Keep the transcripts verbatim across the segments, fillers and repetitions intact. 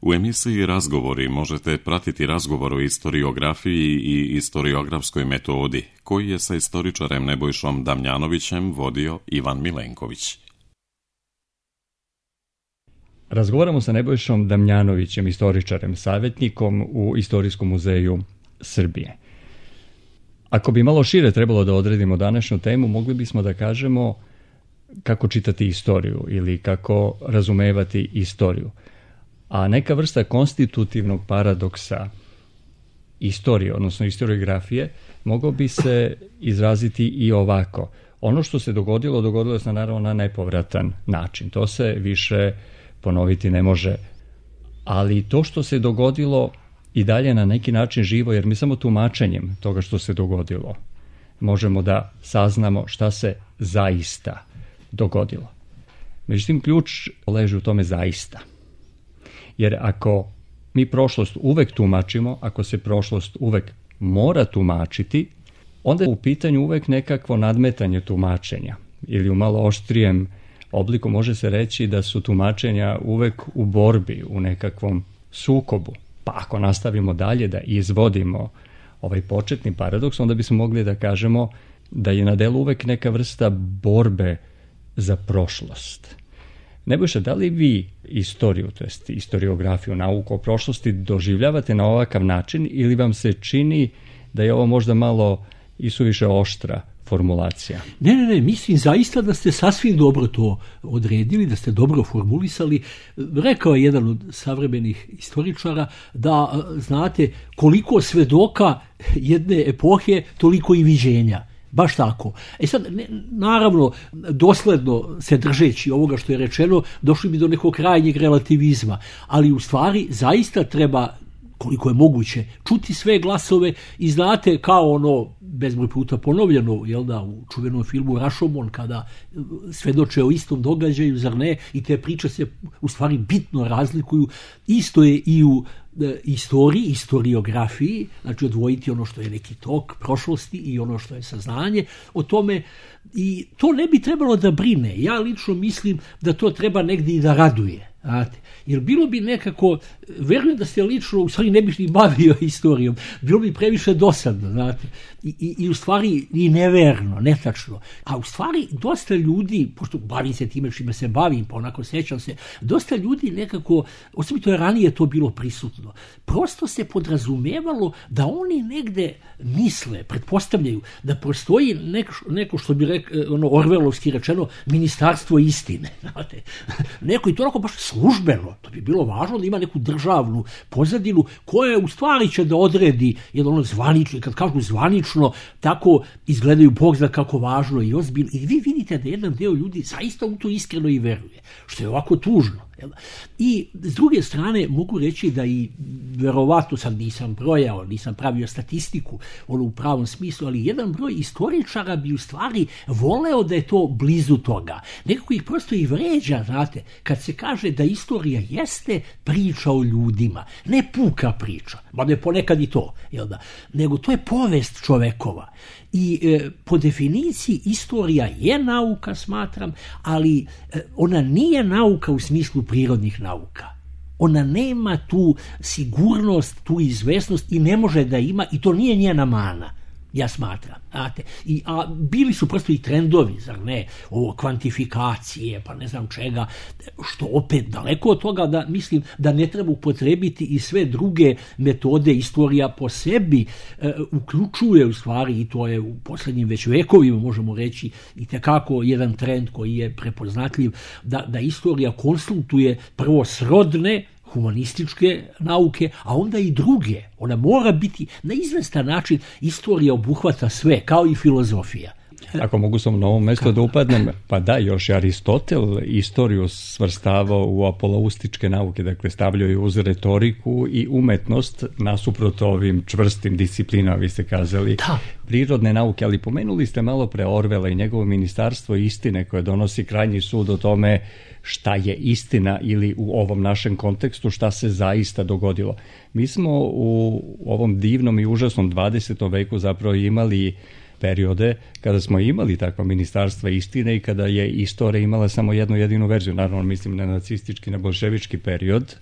U emisiji Razgovori možete pratiti razgovor o istoriografiji i istoriografskoj metodi, koji je sa istoričarem Nebojšom Damjanovićem vodio Ivan Milenković. Razgovaramo sa Nebojšom Damjanovićem, istoričarem, savjetnikom u Istorijskom muzeju Srbije. Ako bi malo šire trebalo da odredimo današnju temu, mogli bismo da kažemo kako čitati istoriju ili kako razumevati istoriju. A neka vrsta konstitutivnog paradoksa istorije, odnosno istoriografije, mogao bi se izraziti i ovako. Ono što se dogodilo, dogodilo se naravno na nepovratan način. To se više ponoviti ne može. Ali to što se dogodilo i dalje na neki način živo, jer mi samo tumačenjem toga što se dogodilo možemo da saznamo šta se zaista dogodilo. Međutim, ključ leži u tome zaista. Jer ako mi prošlost uvek tumačimo, ako se prošlost uvek mora tumačiti, onda je u pitanju uvek nekakvo nadmetanje tumačenja. Ili u malo oštrijem obliku može se reći da su tumačenja uvek u borbi, u nekakvom sukobu. Pa ako nastavimo dalje da izvodimo ovaj početni paradoks, onda bismo mogli da kažemo da je na delu uvek neka vrsta borbe za prošlost. Nebojša, da li vi istoriju, to jest istoriografiju, nauku o prošlosti doživljavate na ovakav način ili vam se čini da je ovo možda malo isuviše oštra formulacija? Ne, ne, ne, mislim zaista da ste sasvim dobro to odredili, da ste dobro formulisali. Rekao je jedan od savremenih istoričara da, znate, koliko svedoka jedne epohe, toliko i viđenja. Baš tako. E sad, ne, naravno, dosledno se držeći ovoga što je rečeno, došli bi do nekog krajnjeg relativizma, ali u stvari zaista treba, koliko je moguće, čuti sve glasove i znate, kao ono bezbroj puta ponovljeno, jel da, u čuvenom filmu Rashomon, kada svedoče o istom događaju, zar ne, i te priče se u stvari bitno razlikuju. Isto je i u e, istoriji, istoriografiji, znači odvojiti ono što je neki tok prošlosti i ono što je saznanje o tome, i to ne bi trebalo da brine. Ja lično mislim da to treba negdje i da raduje. Znate, jer bilo bi nekako, verujem da ste lično u stvari ne bih ni bavio historijom, bilo bi previše dosadno, znate, i, i, i u stvari i neverno, netačno, a u stvari dosta ljudi, pošto bavim se time čime se bavim, pa onako sećam se, dosta ljudi nekako, osobito je ranije to bilo prisutno, prosto se podrazumevalo da oni negde misle, pretpostavljaju da postoji neko, neko što bi rek, ono orvelovski rečeno, ministarstvo istine, znate, neko i to onako baš službeno, to bi bilo važno da ima neku državnu pozadinu koja u stvari će da odredi jedan ono zvanično, kad kažu zvanično, tako izgledaju Bog zna kako važno i ozbiljno. I vi vidite da jedan deo ljudi zaista u to iskreno i veruje, što je ovako tužno. I s druge strane mogu reći da i verovatno sad nisam brojao, nisam pravio statistiku ono u pravom smislu, ali jedan broj istoričara bi u stvari voleo da je to blizu toga. Nekako ih prosto i vređa, znate, kad se kaže da istorija jeste priča o ljudima, ne puka priča, ma ne ponekad i to, jel da, nego to je povest čovekova. I e, po definiciji istorija je nauka, smatram, ali e, ona nije nauka u smislu prirodnih nauka. Ona nema tu sigurnost, tu izvesnost i ne može da ima, i to nije njena mana, ja smatram. Znate, i, a bili su prosto i trendovi, zar ne, ovo kvantifikacije, pa ne znam čega, što opet daleko od toga da mislim da ne treba upotrebiti i sve druge metode. Istorija po sebi e, uključuje u stvari, i to je u posljednjim već vekovima, možemo reći, i tekako jedan trend koji je prepoznatljiv, da, da istorija konsultuje prvo srodne humanističke nauke, a onda i druge. Ona mora biti na izvestan način, istorija obuhvata sve, kao i filozofija. Ako mogu sam na ovom mjestu da upadnem, pa da, još je Aristotel istoriju svrstavao u apolaustičke nauke, dakle stavljao je uz retoriku i umetnost nasuprot ovim čvrstim disciplinama, vi ste kazali, da. Prirodne nauke, ali pomenuli ste malo pre Orwella i njegovo ministarstvo istine koje donosi krajnji sud o tome šta je istina ili u ovom našem kontekstu šta se zaista dogodilo. Mi smo u ovom divnom i užasnom dvadesetom veku zapravo imali periode kada smo imali takva ministarstva istine i kada je istorija imala samo jednu jedinu verziju. Naravno, mislim na nacistički, na bolševički period.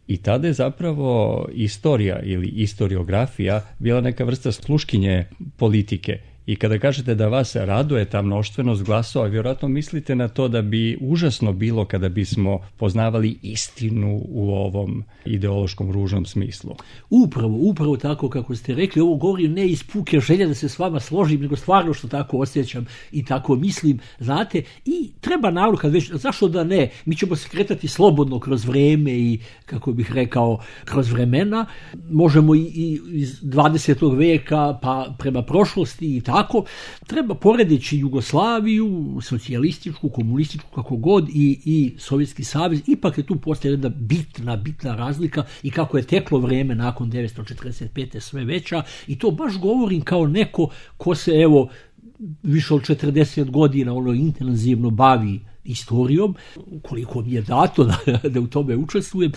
I tada je zapravo istorija ili istoriografija bila neka vrsta sluškinje politike. I kada kažete da vas raduje ta mnoštvenost glasova, vjerojatno mislite na to da bi užasno bilo kada bismo poznavali istinu u ovom ideološkom ružnom smislu. Upravo, upravo tako kako ste rekli, ovo govorim ne iz puke želje da se s vama složim, nego stvarno što tako osjećam i tako mislim, znate, i treba naravno kad već, zašto da ne, mi ćemo se kretati slobodno kroz vreme i, kako bih rekao, kroz vremena, možemo i, i iz dvadesetog veka pa prema prošlosti i tako. Tako, treba poredeći Jugoslaviju, socijalističku, komunističku, kako god, i, i Sovjetski savez, ipak je tu postoje jedna bitna, bitna razlika i kako je teklo vreme nakon devetsto četrdeset pete sve veća, i to baš govorim kao neko ko se, evo, više od četrdeset godina ono intenzivno bavi istorijom, koliko mi je dato da, da u tome učestvujem,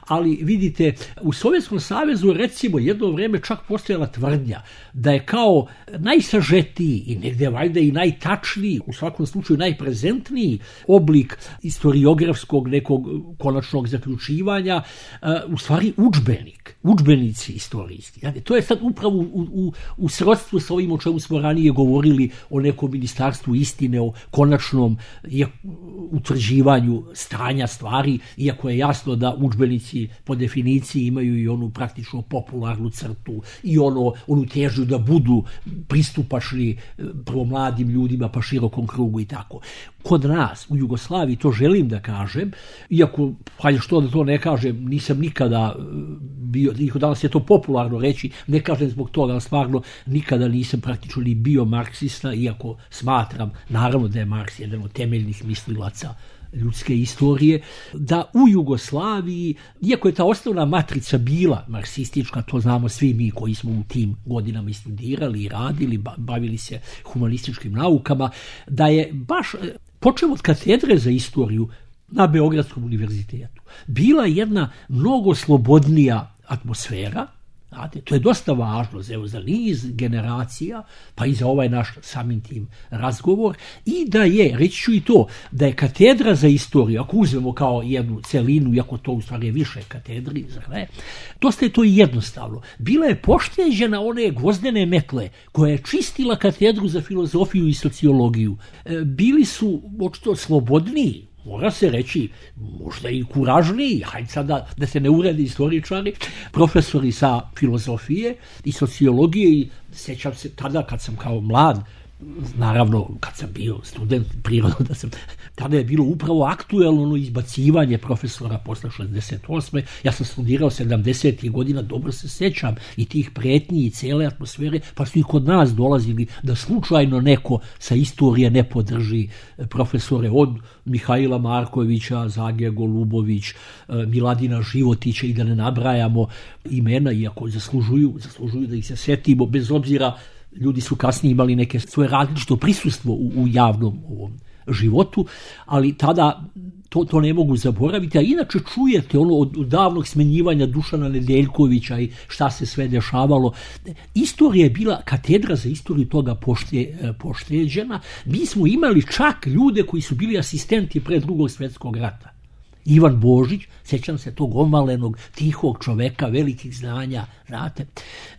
ali vidite, u Sovjetskom savezu recimo jedno vrijeme čak postojala tvrdnja da je kao najsažetiji i negdje valjda i najtačniji, u svakom slučaju najprezentniji oblik historiografskog nekog konačnog zaključivanja, u stvari udžbenik, udžbenici istorijski. Znači, to je sad upravo u, u, u srodstvu s ovim o čemu smo ranije govorili, o nekom ministarstvu istine, o konačnom utvrđivanju stanja stvari, iako je jasno da udžbenici po definiciji imaju i onu praktično popularnu crtu i ono, onu težnju da budu pristupačni prvo mladim ljudima pa širokom krugu i tako. Kod nas u Jugoslaviji, to želim da kažem, iako, hajde što da to ne kažem, nisam nikada bio, danas je to popularno reći, ne kažem zbog toga, ali stvarno nikada nisam praktično ni bio marksista, iako smatram, naravno da je Marks jedan od temeljnih mislilaca ljudske istorije, da u Jugoslaviji, iako je ta osnovna matrica bila marksistička, to znamo svi mi koji smo u tim godinama i studirali i radili, bavili se humanističkim naukama, da je baš, počeo od katedre za istoriju na Beogradskom univerzitetu, bila jedna mnogo slobodnija atmosfera. Znate, to je dosta važno za, za niz generacija, pa i za ovaj naš samim tim razgovor, i da je, reći ću i to, da je katedra za istoriju, ako uzmemo kao jednu celinu, iako to u stvari je više katedri, zar ne, dosta je to i jednostavno. Bila je pošteđena one gvozdene metle koja je čistila katedru za filozofiju i sociologiju. E, bili su očito slobodniji, mora se reći, možda i kuražniji, hajde sada da se ne uredi istoričari, profesori sa filozofije i sociologije, i sjećam se tada kad sam kao mlad, naravno kad sam bio student, prirodno da sam, tada je bilo upravo aktuelno ono izbacivanje profesora posle šezdeset osme. Ja sam studirao sedamdesetih godina, dobro se sjećam i tih pretnji i cele atmosfere, pa su i kod nas dolazili da slučajno neko sa istorije ne podrži profesore, od Mihajla Markovića, Zagija Golubović, Miladina Životića, i da ne nabrajamo imena, iako zaslužuju, zaslužuju da ih se setimo, bez obzira, ljudi su kasnije imali neke svoje različito prisustvo u, u javnom ovom životu, ali tada to, to ne mogu zaboraviti, a inače čujete ono od, od davnog smenjivanja Dušana Nedeljkovića i šta se sve dešavalo. Istorija je bila, katedra za istoriju toga pošte, pošteđena. Mi smo imali čak ljude koji su bili asistenti pre Drugog svjetskog rata. Ivan Božić, sjećam se tog omalenog, tihog čoveka, velikih znanja, znate.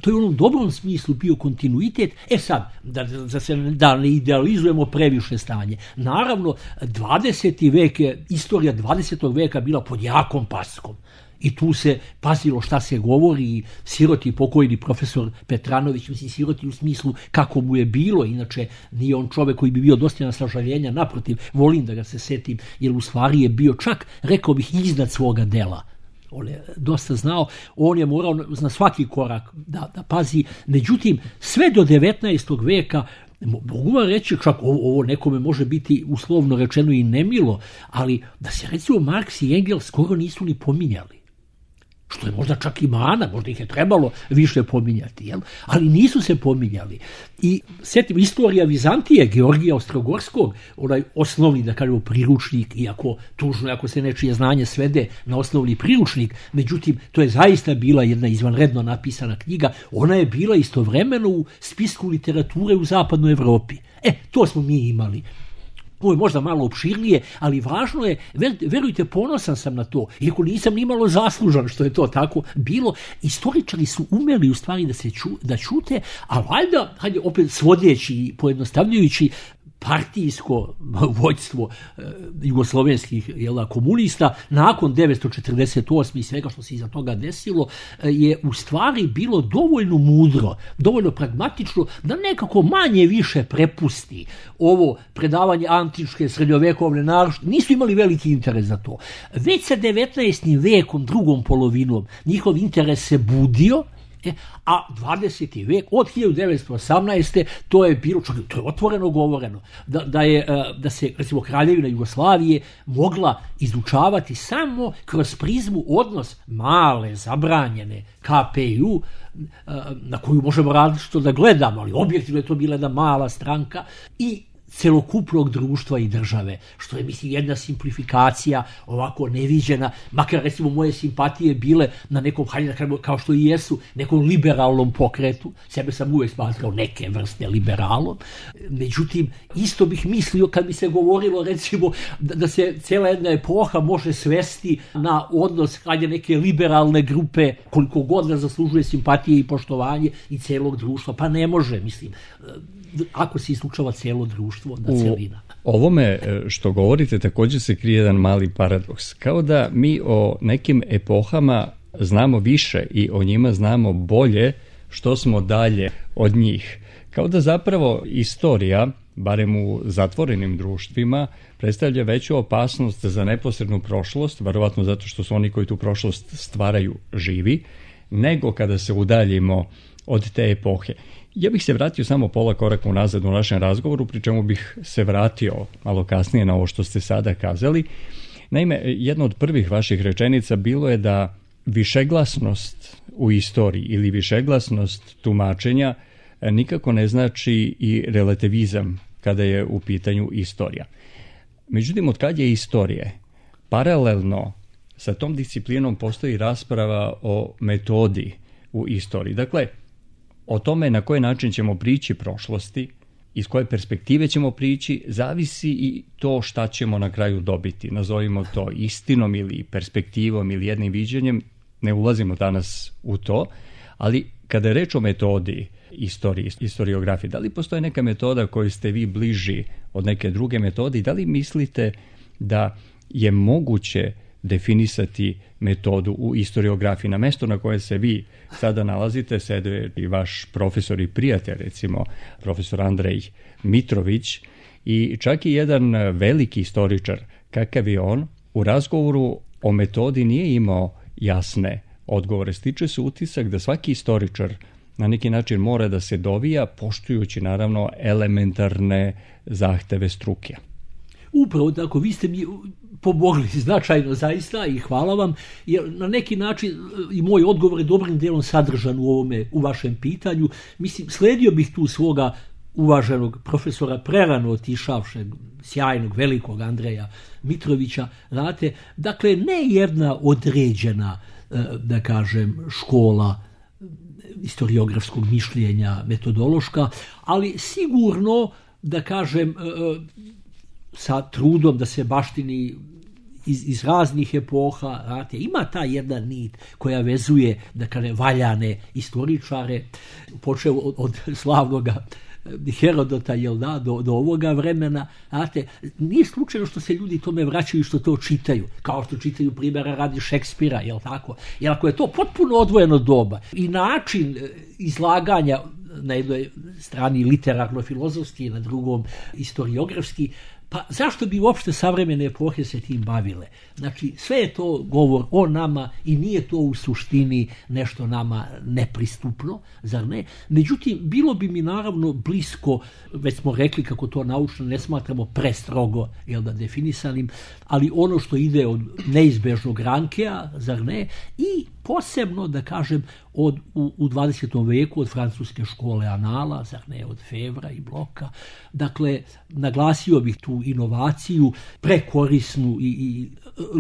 To je u onom dobrom smislu bio kontinuitet. E sad, da, da, se, da ne idealizujemo previše stanje. Naravno, dvadeseti vek je, istorija dvadesetog veka bila pod jakom paskom. I tu se pazilo šta se govori, siroti pokojni profesor Petranović, mislim siroti u smislu kako mu je bilo, inače nije on čovjek koji bi bio dostojan sažaljenja, naprotiv, volim da ga se setim, jer u stvari je bio čak, rekao bih, iznad svoga dela. On je dosta znao, on je morao na svaki korak da, da pazi, međutim, sve do devetnaestog veka, mogu vam reći, čak ovo, ovo nekome može biti uslovno rečeno i nemilo, ali da se recimo Marks i Engels skoro nisu ni pominjali. Što je možda čak i mana, možda ih je trebalo više pominjati, jel? Ali nisu se pominjali. I sjetim, istorija Vizantije, Georgija Ostrogorskog, onaj osnovni, da kažemo, priručnik, iako tužno, ako se nečije znanje svede na osnovni priručnik, međutim, to je zaista bila jedna izvanredno napisana knjiga, ona je bila istovremeno u spisku literature u zapadnoj Evropi. E, to smo mi imali. Ovo je možda malo opširnije, ali važno je, verujte, ponosan sam na to, iako nisam ni malo zaslužan što je to tako bilo. Istoričari su umeli u stvari da se ču, da čute, a valjda, hajde opet svodeći i pojednostavljujući, partijsko vođstvo e, jugoslovenskih jela, komunista nakon devetsto četrdeset osme i svega što se iza toga desilo e, je u stvari bilo dovoljno mudro, dovoljno pragmatično da nekako manje više prepusti ovo predavanje antičke srednjovekovne naročite. Nisu imali veliki interes za to. Već sa devetnaestim vekom, drugom polovinom, njihov interes se budio. E, a dvadeseti vek, od hiljadu devetsto osamnaeste. to je bilo, to je otvoreno govoreno, da, da, je, da se, recimo, Kraljevina Jugoslavije mogla izučavati samo kroz prizmu odnos male, zabranjene K P U, na koju možemo različito da gledamo, ali objektivno je to bila jedna mala stranka, i celokupnog društva i države, što je, mislim, jedna simplifikacija ovako neviđena, makar, recimo, moje simpatije bile na nekom, hajde da kažemo, kao što i jesu, nekom liberalnom pokretu. Sebe sam uvek smatrao neke vrste liberalom. Međutim, isto bih mislio kad bi se govorilo, recimo, da, da se cijela jedna epoha može svesti na odnos, hajde, neke liberalne grupe, koliko god da zaslužuje simpatije i poštovanje i celog društva. Pa ne može, mislim, ako se isključava cijelo društvo, da celina. U ovome što govorite također se krije jedan mali paradoks. Kao da mi o nekim epohama znamo više i o njima znamo bolje što smo dalje od njih. Kao da zapravo istorija, barem u zatvorenim društvima, predstavlja veću opasnost za neposrednu prošlost, verovatno zato što su oni koji tu prošlost stvaraju živi, nego kada se udaljimo od te epohe. Ja bih se vratio samo pola koraka unazad u našem razgovoru, pri čemu bih se vratio malo kasnije na ovo što ste sada kazali. Naime, jedna od prvih vaših rečenica bilo je da višeglasnost u istoriji ili višeglasnost tumačenja nikako ne znači i relativizam kada je u pitanju istorija. Međutim, od kad je istorije, paralelno sa tom disciplinom postoji rasprava o metodi u istoriji. Dakle, o tome na koji način ćemo prići prošlosti, iz koje perspektive ćemo prići, zavisi i to šta ćemo na kraju dobiti. Nazovimo to istinom ili perspektivom ili jednim viđenjem, ne ulazimo danas u to, ali kada je reč o metodi istorije, historiografije, da li postoji neka metoda koju ste vi bliži od neke druge metode i da li mislite da je moguće definisati metodu u historiografiji? Na mesto na koje se vi sada nalazite sede i vaš profesor i prijatelj, recimo profesor Andrej Mitrović, i čak i jedan veliki istoričar kakav je on, u razgovoru o metodi nije imao jasne odgovore. Stiče se utisak da svaki istoričar na neki način mora da se dovija, poštujući naravno elementarne zahteve struke. Upravo tako, vi ste mi pomogli značajno zaista i hvala vam, jer na neki način i moj odgovor je dobrim dijelom sadržan u ovome, u vašem pitanju. Mislim, sledio bih tu svoga uvaženog profesora prerano otišavšeg, sjajnog, velikog Andreja Mitrovića, znate, dakle, ne jedna određena, da kažem, škola historiografskog mišljenja, metodološka, ali sigurno, da kažem, sa trudom da se baštini iz, iz raznih epoha, znate, ima ta jedna nit koja vezuje, da kažem, valjane istoričare, počeo od, od slavnog Herodota, jel da, do, do ovoga vremena, znate, nije slučajno što se ljudi tome vraćaju, što to čitaju, kao što čitaju primjera radi Šekspira, jel tako, jer ako je to potpuno odvojeno doba i način izlaganja na jednoj strani literarno-filozofski, na drugom historiografski, pa zašto bi uopšte savremene epohe se tim bavile? Znači, sve je to govor o nama i nije to u suštini nešto nama nepristupno, zar ne? Međutim, bilo bi mi naravno blisko, već smo rekli kako to naučno ne smatramo prestrogo, jel da, definisanim, ali ono što ide od neizbežnog Rankea, zar ne? I posebno, da kažem, od, u, u dvadesetom veku od francuske škole Anala, zar ne, od Fevra i Bloka. Dakle, naglasio bih tu inovaciju, prekorisnu i, i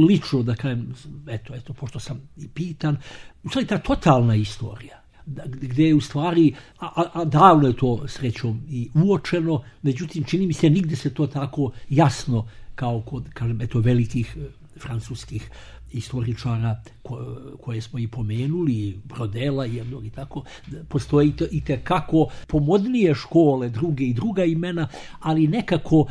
lično, da kažem, eto, eto, pošto sam i pitan, u stvari ta totalna istorija. gdje je u stvari, a, a davno je to srećom i uočeno, međutim čini mi se nigde se to tako jasno kao kod, kažem, eto, velikih francuskih istoričara ko, koje smo i pomenuli, Brodela jednog i tako, postoji i tekako pomodnije škole, druge i druga imena, ali nekako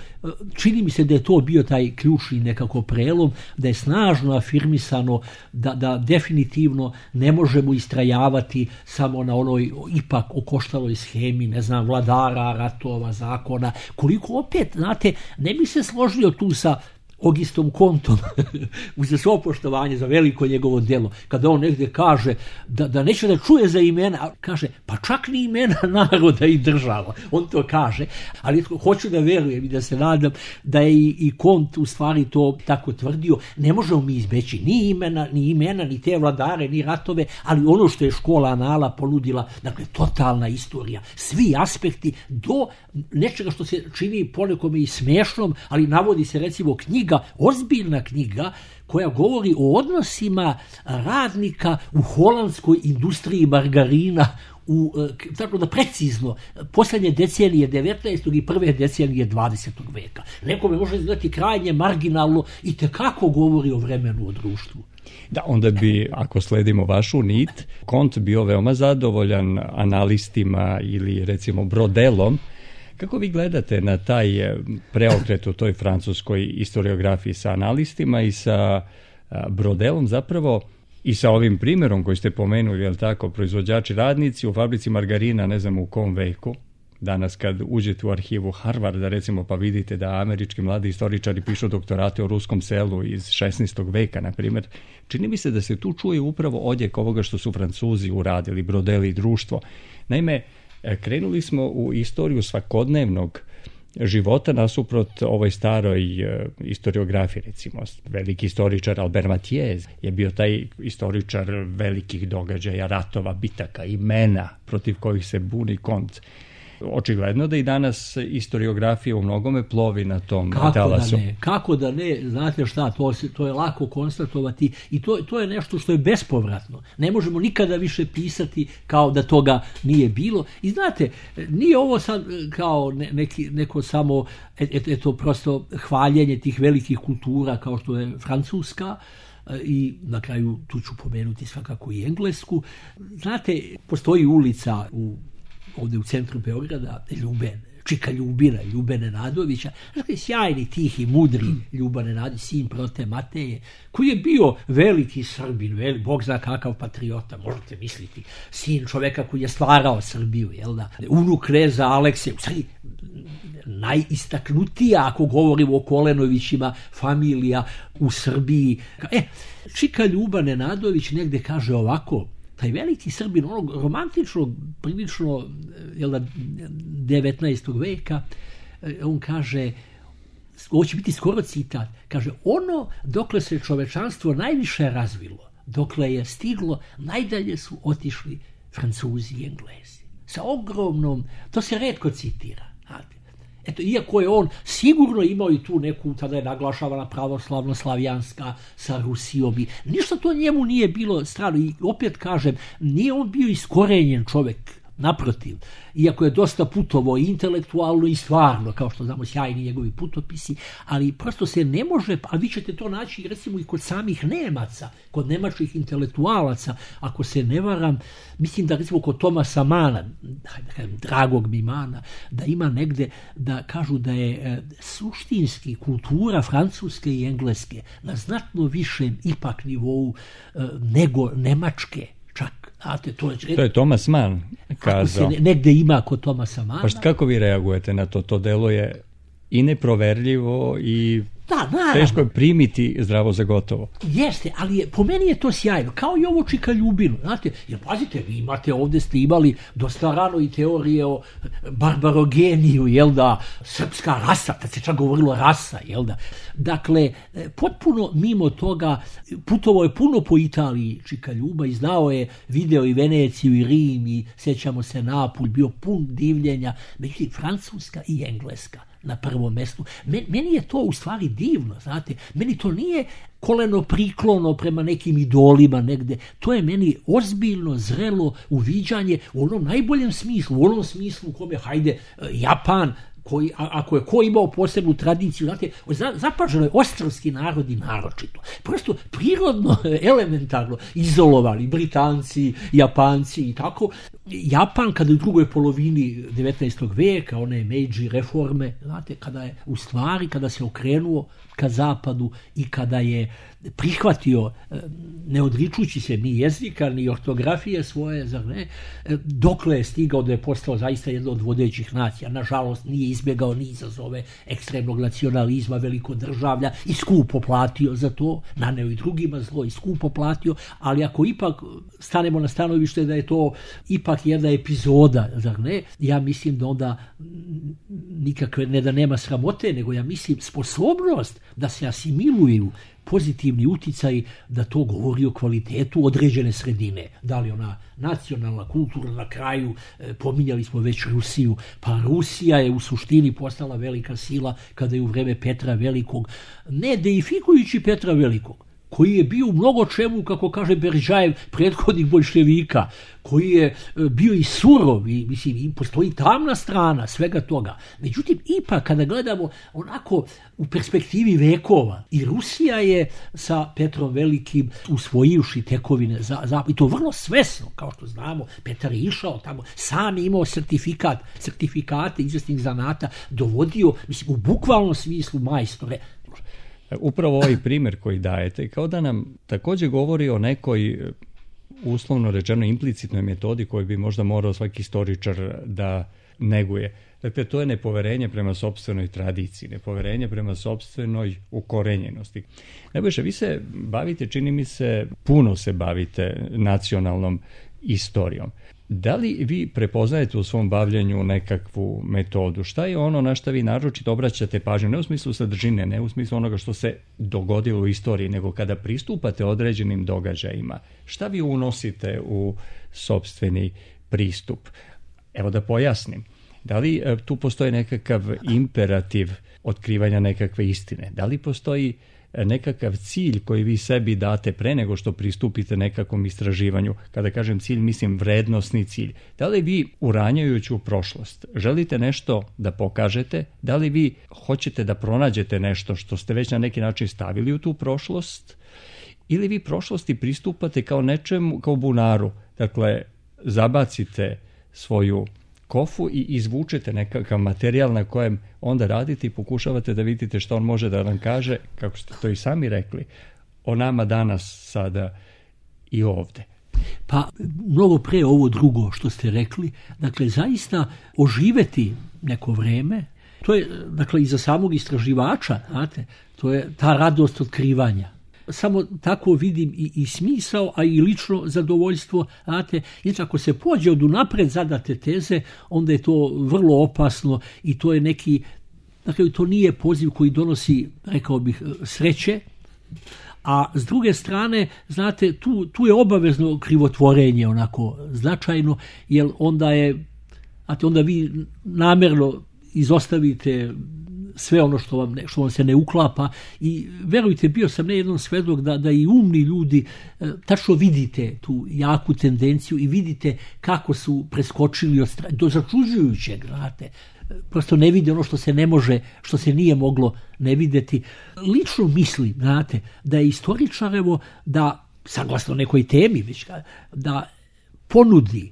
čini mi se da je to bio taj ključni nekako prelom, da je snažno afirmisano da, da definitivno ne možemo istrajavati samo na onoj ipak okoštaloj schemi, ne znam, vladara, ratova, zakona, koliko opet, znate, ne bi se složio tu sa Augustom Comtom, uz svo poštovanje za veliko njegovo djelo, kada on negdje kaže da, da neće da čuje za imena, kaže, pa čak ni imena naroda i država, on to kaže, ali hoću da verujem i da se nadam da je i, i Comte u stvari to tako tvrdio, ne možemo mi izbeći ni imena, ni imena, ni te vladare, ni ratove, ali ono što je škola anala ponudila, dakle, totalna istorija, svi aspekti do nečega što se čini ponekome i smiješnom, ali navodi se recimo knjiga, ozbiljna knjiga koja govori o odnosima radnika u holandskoj industriji margarina, u, tako da precizno, posljednje decenije devetnaestog i prve decenije dvadesetog veka. Nekome može izgledati krajnje marginalno i tekako govori o vremenu, o društvu. Da, onda bi, ako sledimo vašu nit, Comte bio veoma zadovoljan analistima ili recimo Brodelom. Kako vi gledate na taj preokret u toj francuskoj historiografiji sa analistima i sa Brodelom zapravo i sa ovim primjerom koji ste pomenuli, je li tako, proizvođači radnici u fabrici margarina, ne znam u kom veku, danas kad uđete u arhivu Harvarda recimo pa vidite da američki mladi istoričari pišu doktorate o ruskom selu iz šesnaestog veka, na primjer, čini mi se da se tu čuje upravo odjek ovoga što su Francuzi uradili, Brodel i društvo. Naime, krenuli smo u istoriju svakodnevnog života nasuprot ovoj staroj e, historiografiji, recimo. Veliki istoričar Albert Mathiez je bio taj istoričar velikih događaja, ratova, bitaka, imena protiv kojih se buni Comte. Očigledno da i danas historiografija u mnogome plovi na tom Kako talasu. Da ne? Kako da ne? Znate šta, to, se, to je lako konstatovati i to, to je nešto što je bespovratno. Ne možemo nikada više pisati kao da toga nije bilo. I znate, nije ovo sad kao ne, neki, neko samo et, eto prosto hvaljenje tih velikih kultura kao što je Francuska, i na kraju tu ću pomenuti svakako i Englesku. Znate, postoji ulica u ovdje u centru Beograda, Ljuben, Čika Ljubina, Ljubene Nadovića, znači sjajni, tihi, mudri Ljuban Nenadović, sin prote Mateje, koji je bio veliki Srbin, velik, Bog zna kakav patriota, možete misliti, sin čoveka koji je stvarao Srbiju, jel da, unuk kneza Alekse, u stvari najistaknutija, ako govorimo o Kolenovićima, familija u Srbiji. E, Čika Ljuban Nenadović negde kaže ovako, taj veliki Srbin, onog romantičnog, prilično jel da, devetnaestog veka, on kaže, ovo će biti skoro citat, kaže, ono dokle se čovečanstvo najviše razvilo, dokle je stiglo, najdalje su otišli Francuzi i Englezi. Sa ogromnom, to se retko citira. Eto, iako je on sigurno imao i tu neku, tada je naglašavana pravoslavno-slavijanska sa Rusijom i ništa to njemu nije bilo strano. I opet kažem, nije on bio iskorenjen čovjek, naprotiv, iako je dosta putovao intelektualno i stvarno, kao što znamo, sjajni njegovi putopisi, ali prosto se ne može, a vi ćete to naći recimo i kod samih Nemaca, kod nemačkih intelektualaca, ako se ne varam, mislim da recimo kod Tomasa Mana, dragog mi Mana, da ima negde da kažu da je e, suštinski kultura francuske i engleske na znatno višem ipak nivou e, nego nemačke. Čak, znate, to je... To je Thomas Mann kazao. Ako se negde ima kod Thomasa Manna. Pa kako vi reagujete na to? To delo je i neproverljivo i da, teško je primiti zdravo za gotovo. Jeste, ali je, po meni je to sjajno. Kao i ovo Čika Ljubinu. Znate, jer pazite, vi imate ovdje ste imali dosta rano i teorije o barbarogeniju, jel da, srpska rasa, tad se čak govorilo rasa, jel da. Dakle, potpuno mimo toga, putovao je puno po Italiji Čika Ljuba i znao je, video i Veneciju i Rim i sjećamo se Napulj, bio pun divljenja, međutim Francuska i Engleska. na prvom mjestu. Meni je to u stvari divno, znate. Meni to nije koleno priklono prema nekim idolima negde. To je meni ozbiljno, zrelo uviđanje u onom najboljem smislu, u onom smislu u kome, hajde, Japan, koji, ako je ko imao posebnu tradiciju, znate, zapaženo je ostrvski narodi naročito. Prosto prirodno, elementarno izolovali Britanci, Japanci i tako. Japan, kada u drugoj polovini devetnaestog vijeka, one Meiji reforme, znate, kada je u stvari, kada se okrenuo ka zapadu i kada je prihvatio, ne odričući se ni jezika, ni ortografije svoje, zar ne, dokle je stigao da je postao zaista jedna od vodećih nacija. Nažalost, nije izbjegao ni izazove ekstremnog nacionalizma, velikodržavlja i skupo platio za to, naneo i drugima zlo i skupo platio, ali ako ipak stanemo na stanovište da je to ipak jedna epizoda, zar ne, ja mislim da onda nikakve, ne da nema sramote, nego ja mislim sposobnost da se asimiluju pozitivni uticaj, da to govori o kvalitetu određene sredine. Da li ona nacionalna, kultura, na kraju, e, pominjali smo već Rusiju, pa Rusija je u suštini postala velika sila kada je u vreme Petra Velikog, ne deifikujući Petra Velikog, koji je bio u mnogo čemu, kako kaže Beržajev, prethodnih boljševika, koji je bio i surov, i, mislim, i postoji tamna strana svega toga. Međutim, ipak kada gledamo onako u perspektivi vekova, i Rusija je sa Petrom Velikim usvojivši tekovine, za, za, i to vrlo svesno, kao što znamo, Petar je išao tamo, sam je imao sertifikat, sertifikate izvesnih zanata, dovodio, mislim, u bukvalnom smislu majstore. Upravo ovaj primjer koji dajete, kao da nam također govori o nekoj, uslovno rečeno, implicitnoj metodi koju bi možda morao svaki istoričar da neguje. Dakle, to je nepoverenje prema sopstvenoj tradiciji, nepoverenje prema sopstvenoj ukorenjenosti. Nebojša, vi se bavite, čini mi se, puno se bavite nacionalnom istorijom. Da li vi prepoznajete u svom bavljanju nekakvu metodu? Šta je ono na što vi naročito obraćate pažnju? Ne u smislu sadržine, ne u smislu onoga što se dogodilo u istoriji, nego kada pristupate određenim događajima. Šta vi unosite u sopstveni pristup? Evo da pojasnim. Da li tu postoji nekakav imperativ otkrivanja nekakve istine? Da li postoji nekakav cilj koji vi sebi date pre nego što pristupite nekakvom istraživanju? Kada kažem cilj, mislim vrednosni cilj. Da li vi, uranjajući u prošlost, želite nešto da pokažete? Da li vi hoćete da pronađete nešto što ste već na neki način stavili u tu prošlost? Ili vi prošlosti pristupate kao nečemu, kao bunaru? Dakle, zabacite svoju kofu i izvučete nekakav materijal na kojem onda radite i pokušavate da vidite što on može da nam kaže, kako ste to i sami rekli, o nama danas, sada i ovde. Pa mnogo pre ovo drugo što ste rekli, dakle zaista oživeti neko vreme, to je dakle i za samog istraživača, znate, to je ta radost otkrivanja. Samo tako vidim i, i smisao, a i lično zadovoljstvo. Znate, znači ako se pođe od unapred zadate teze, onda je to vrlo opasno i to je neki, dakle to nije poziv koji donosi, rekao bih, sreće, a s druge strane, znate, tu, tu je obavezno krivotvorenje onako značajno, jer onda je, znate, onda vi namjerno izostavite sve ono što vam, ne, što vam se ne uklapa i verujte, bio sam ne jednom svedok da, da i umni ljudi e, tačno vidite tu jaku tendenciju i vidite kako su preskočili od stra... do začuđujućeg, znate, prosto ne vide ono što se ne može, što se nije moglo ne videti. Lično mislim, znate, da je istoričarevo da, saglasno nekoj temi, već da ponudi,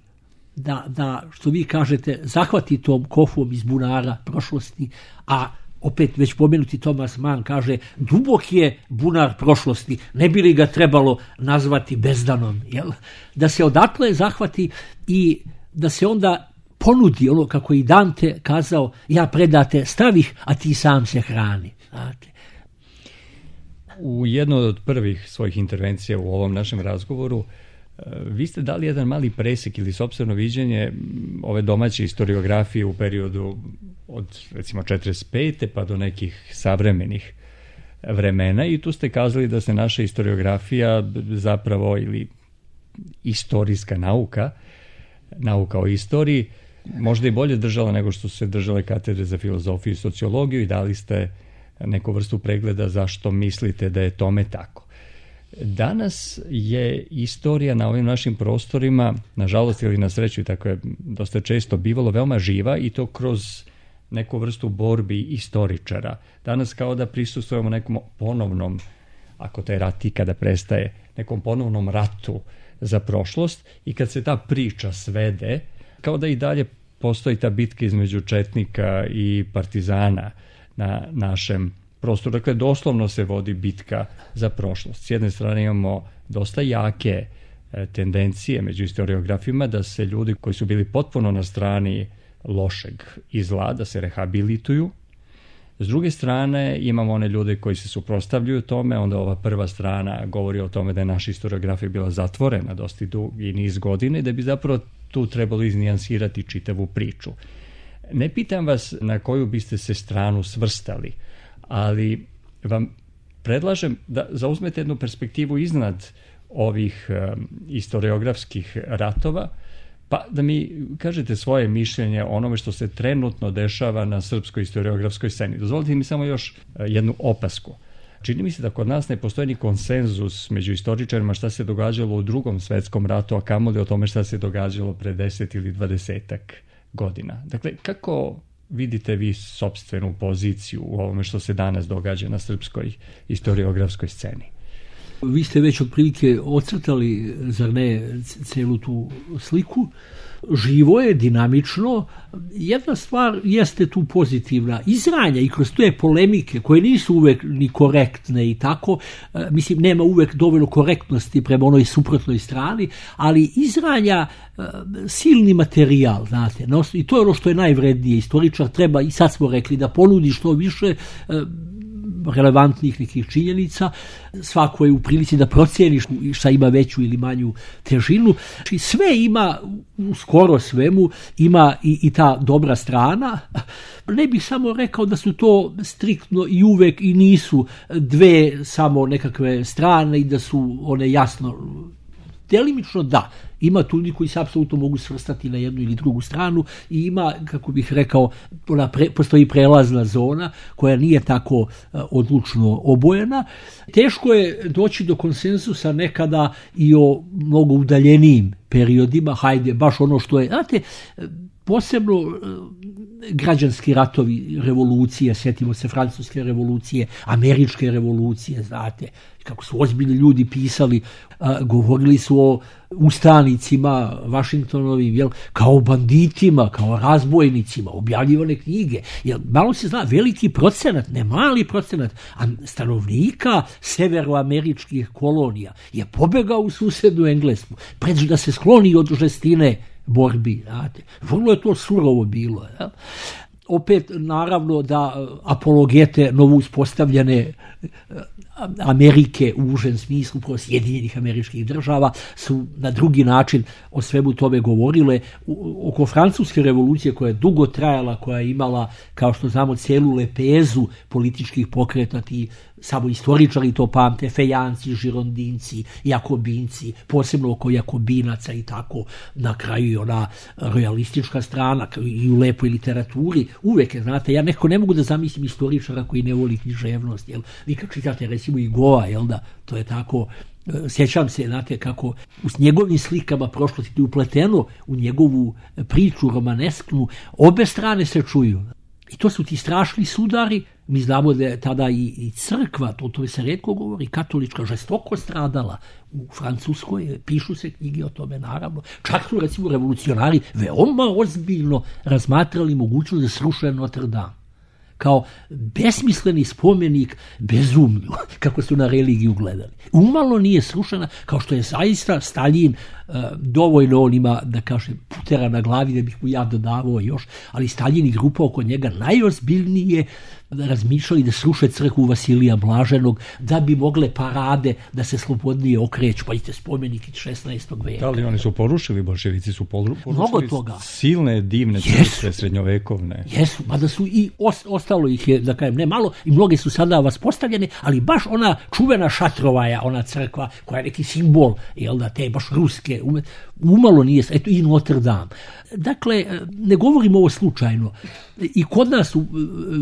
da, da, što vi kažete, zahvati tom kofom iz bunara prošlosti, a opet već pomenuti Thomas Mann kaže, dubok je bunar prošlosti, ne bi li ga trebalo nazvati bezdanom, jel? Da se odatle zahvati i da se onda ponudi ono kako i Dante kazao, ja predate stavih, a ti sam se hrani. Znate. U jednoj od prvih svojih intervencija u ovom našem razgovoru vi ste dali jedan mali presek ili sopstveno viđenje ove domaće historiografije u periodu od recimo četrdeset pete pa do nekih savremenih vremena i tu ste kazali da se naša historiografija zapravo ili istorijska nauka, nauka o istoriji, možda i bolje držala nego što su se držale katedre za filozofiju i sociologiju i dali ste neku vrstu pregleda zašto mislite da je tome tako. Danas je istorija na ovim našim prostorima, nažalost ili na sreću, i tako je dosta često bivalo, veoma živa i to kroz neku vrstu borbi istoričara. Danas kao da prisustvujemo nekom ponovnom, ako taj rat ikada prestaje, nekom ponovnom ratu za prošlost i kad se ta priča svede, kao da i dalje postoji ta bitka između četnika i partizana na našem prostoru. Dakle, doslovno se vodi bitka za prošlost. S jedne strane imamo dosta jake e, tendencije među historiografima da se ljudi koji su bili potpuno na strani lošeg i zla, da se rehabilituju. S druge strane imamo one ljude koji se suprotstavljaju tome, onda ova prva strana govori o tome da je naša historiografija bila zatvorena dosta dugi niz godina i da bi zapravo tu trebalo iznijansirati čitavu priču. Ne pitam vas na koju biste se stranu svrstali, ali vam predlažem da zauzmete jednu perspektivu iznad ovih um, historiografskih ratova, pa da mi kažete svoje mišljenje o onome što se trenutno dešava na srpskoj historiografskoj sceni. Dozvolite mi samo još jednu opasku. Čini mi se da kod nas ne postoji ni konsenzus među istoričarima šta se događalo u Drugom svetskom ratu, a kamoli o tome šta se događalo pre deset ili dvadesetak godina. Dakle, kako vidite vi sopstvenu poziciju u ovome što se danas događa na srpskoj historiografskoj sceni? Vi ste već otprilike ocrtali, zar ne, celu tu sliku. Živo je, dinamično. Jedna stvar jeste tu pozitivna. Izranja i kroz te polemike koje nisu uvek ni korektne i tako, mislim, nema uvek dovoljno korektnosti prema onoj suprotnoj strani, ali izranja silni materijal, znate, i to je ono što je najvrednije. Istoričar treba, i sad smo rekli, da ponudi što više relevantnih nekih činjenica, svako je u prilici da procijeni šta ima veću ili manju težinu. Znači, sve ima, skoro svemu, ima i, i ta dobra strana. Ne bih samo rekao da su to striktno i uvek i nisu dve samo nekakve strane i da su one jasno. Delimično da, ima tu ljudi koji se apsolutno mogu svrstati na jednu ili drugu stranu i ima, kako bih rekao, ona pre, postoji prelazna zona koja nije tako uh, odlučno obojena. Teško je doći do konsenzusa nekada i o mnogo udaljenijim periodima, hajde, baš ono što je, znate, posebno uh, građanski ratovi, revolucije, sjetimo se francuske revolucije, američke revolucije, znate, kako su ozbiljni ljudi pisali, a, govorili su o ustanicima Vašingtonovim, jel, kao banditima, kao razbojnicima, objavljivane knjige. Jel, malo se zna, veliki procenat, ne mali procenat, a stanovnika severoameričkih kolonija je pobegao u susednu Englesku, pred da se skloni od žestine borbi, znate. Vrlo je to surovo bilo, jel? Opet, naravno, da apologete novo uspostavljene Amerike u užem smislu, pro Sjedinjenih Američkih Država, su na drugi način o svemu tome govorile. U, oko francuske revolucije koja je dugo trajala, koja je imala, kao što znamo, cijelu lepezu političkih pokreta, ti samo istoričari to pamte, fejanci, žirondinci, jakobinci, posebno oko jakobinaca i tako, na kraju i ona realistička strana i u lepoj literaturi, uvek je, znate, ja nekako ne mogu da zamislim istoričara koji ne voli književnost, jel, vi kad čitate recimo i Goa, jel da, to je tako, sjećam se, znate, kako u njegovim slikama prošlosti je upleteno u njegovu priču romanesknu, obe strane se čuju. I to su ti strašni sudari. Mi znamo da je tada i, i crkva, to, to se retko govori, katolička, žestoko stradala u Francuskoj, pišu se knjige o tome, naravno. Čak su, recimo, revolucionari veoma ozbiljno razmatrali mogućnost da sruše Notre Dame kao besmisleni spomenik bezumlju, kako su na religiju gledali. Umalo nije srušena, kao što je zaista Staljin, uh, dovoljno on ima, da kažem, putera na glavi, da bih mu ja dodavao još, ali Staljin i grupa oko njega najozbiljnije razmišljali da sruše crkvu Vasilija Blaženog, da bi mogle parade da se slobodnije okreću, pa idete spomenik iz šesnaestog veka. Da li oni su porušili, bolševici su porušili mnogo toga. Silne, divne crkve srednjovekovne. Jesu, mada su i ostalo ih je, da kažem, ne malo, i mnoge su sada vaspostavljene, ali baš ona čuvena Šatrovaja, ona crkva koja je neki simbol, jel da, te baš ruske, umalo nije, eto i Notre Dame. Dakle, ne govorim ovo slučajno. I kod nas su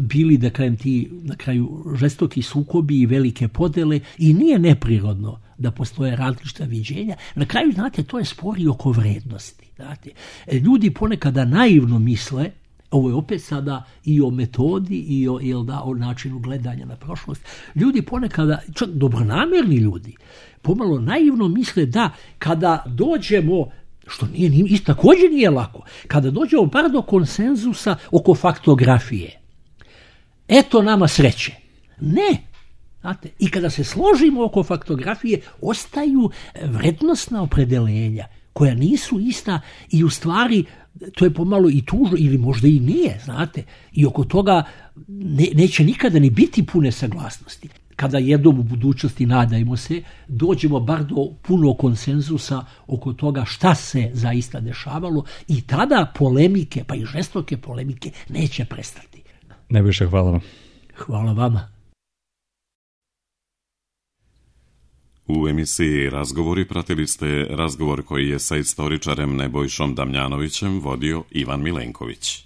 bili, da kažem, ti na kraju žestoki sukobi i velike podele i nije neprirodno da postoje različita viđenja. Na kraju, znate, to je spor i oko vrednosti. Znate. Ljudi ponekada naivno misle, ovo je opet sada i o metodi i o, jel da, o načinu gledanja na prošlost. Ljudi ponekada, čak dobronamerni ljudi, pomalo naivno misle da kada dođemo, što nije, nije također nije lako, kada dođemo bar do konsenzusa oko faktografije, eto nama sreće. Ne. Znate, i kada se složimo oko faktografije, ostaju vrednostna opredelenja koja nisu ista i u stvari to je pomalo i tužno ili možda i nije, znate, i oko toga ne, neće nikada ni biti pune saglasnosti. Kada jednom u budućnosti, nadajmo se, dođemo bar do punog konsenzusa oko toga šta se zaista dešavalo i tada polemike, pa i žestoke polemike, neće prestati. Nebojša, hvala vam. Hvala vama. U emisiji Razgovori pratili ste razgovor koji je sa istoričarem Nebojšom Damjanovićem vodio Ivan Milenković.